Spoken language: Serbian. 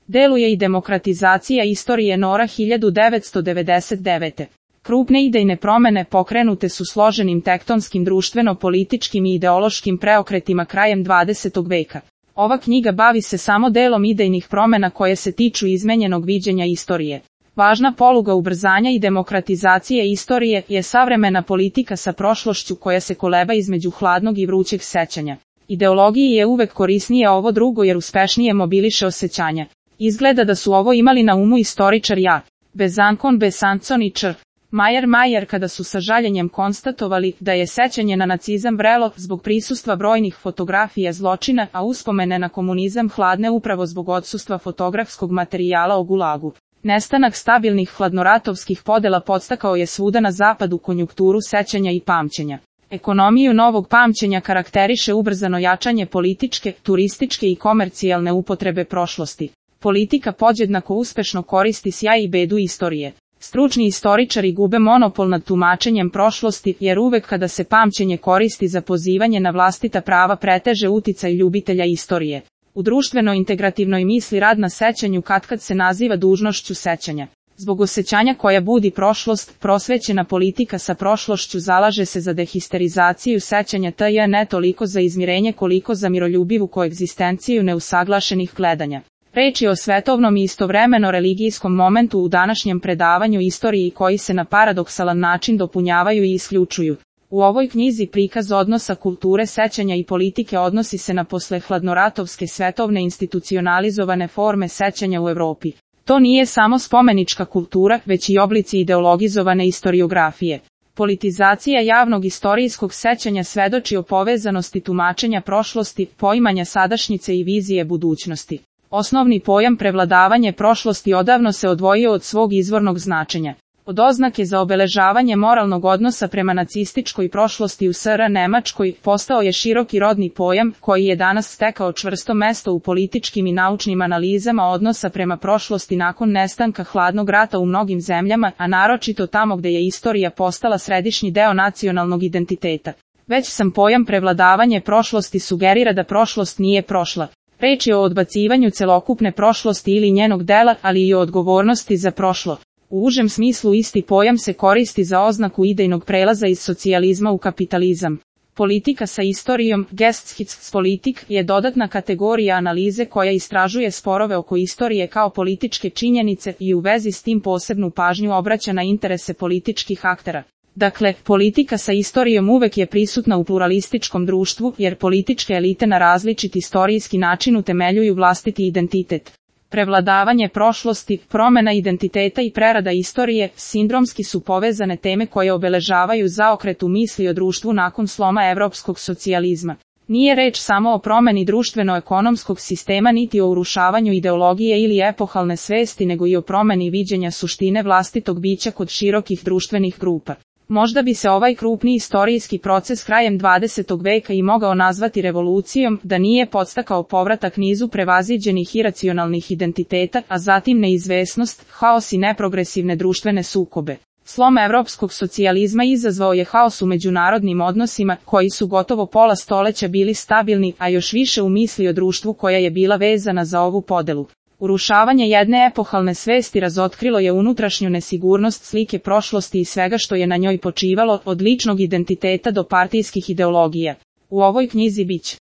Deluje i demokratizacija istorije NORA 1999. Krupne idejne promene pokrenute su složenim tektonskim društveno-političkim i ideološkim preokretima krajem 20. veka. Ova knjiga bavi se samo delom idejnih promena koje se tiču izmenjenog viđenja istorije. Važna poluga ubrzanja i demokratizacije istorije je savremena politika sa prošlošću koja se koleba između hladnog i vrućeg sećanja. Ideologiji je uvek korisnije ovo drugo jer uspešnije mobiliše osjećanja. Izgleda da su ovo imali na umu istoričar Besançon i Č. Mayer kada su sa žaljenjem konstatovali da je sećanje na nacizam vrelo zbog prisustva brojnih fotografija zločina, a uspomene na komunizam hladne upravo zbog odsustva fotografskog materijala o Gulagu. Nestanak stabilnih hladnoratovskih podela podstakao je svuda na zapadu konjunkturu sećanja i pamćenja. Ekonomiju novog pamćenja karakteriše ubrzano jačanje političke, turističke i komercijalne upotrebe prošlosti. Politika podjednako uspešno koristi sjaj i bedu istorije. Stručni istoričari gube monopol nad tumačenjem prošlosti, jer uvek kada se pamćenje koristi za pozivanje na vlastita prava preteže uticaj ljubitelja istorije. U društveno-integrativnoj misli rad na sećanju katkad se naziva dužnošću sećanja. Zbog osjećanja koja budi prošlost, prosvećena politika sa prošlošću zalaže se za dehisterizaciju sećanja tj. ne toliko za izmirenje koliko za miroljubivu koegzistenciju neusaglašenih gledanja. Reč je o svetovnom i istovremeno religijskom momentu u današnjem predavanju istoriji koji se na paradoksalan način dopunjavaju i isključuju. U ovoj knjizi prikaz odnosa kulture sećanja i politike odnosi se na poslehladnoratovske svetovne institucionalizovane forme sećanja u Evropi. To nije samo spomenička kultura, već i oblici ideologizovane istoriografije. Politizacija javnog istorijskog sećanja svedoči o povezanosti tumačenja prošlosti, poimanja sadašnjice i vizije budućnosti. Osnovni pojam prevladavanje prošlosti odavno se odvojio od svog izvornog značenja. Od oznake za obeležavanje moralnog odnosa prema nacističkoj prošlosti u SR Nemačkoj postao je široki rodni pojam koji je danas stekao čvrsto mesto u političkim i naučnim analizama odnosa prema prošlosti nakon nestanka hladnog rata u mnogim zemljama, a naročito tamo gde je istorija postala središnji deo nacionalnog identiteta. Već sam pojam prevladavanje prošlosti sugerira da prošlost nije prošla. Reč je o odbacivanju celokupne prošlosti ili njenog dela, ali i o odgovornosti za prošlo. U užem smislu isti pojam se koristi za oznaku idejnog prelaza iz socijalizma u kapitalizam. Politika sa istorijom, Geschichtspolitik, je dodatna kategorija analize koja istražuje sporove oko istorije kao političke činjenice i u vezi s tim posebnu pažnju obraća na interese političkih aktera. Dakle, politika sa istorijom uvek je prisutna u pluralističkom društvu, jer političke elite na različit istorijski način utemeljuju vlastiti identitet. Prevladavanje prošlosti, promena identiteta i prerada istorije, sindromski su povezane teme koje obeležavaju zaokret u misli o društvu nakon sloma evropskog socijalizma. Nije reč samo o promeni društveno-ekonomskog sistema niti o urušavanju ideologije ili epohalne svesti nego i o promeni viđenja suštine vlastitog bića kod širokih društvenih grupa. Možda bi se ovaj krupni istorijski proces krajem 20. veka i mogao nazvati revolucijom, da nije podstakao povratak nizu prevaziđenih iracionalnih identiteta, a zatim neizvesnost, haos i neprogresivne društvene sukobe. Slom evropskog socijalizma izazvao je haos u međunarodnim odnosima, koji su gotovo pola stoleća bili stabilni, a još više u misli o društvu koja je bila vezana za ovu podelu. Urušavanje jedne epohalne svesti razotkrilo je unutrašnju nesigurnost slike prošlosti i svega što je na njoj počivalo, od ličnog identiteta do partijskih ideologija. U ovoj knjizi biće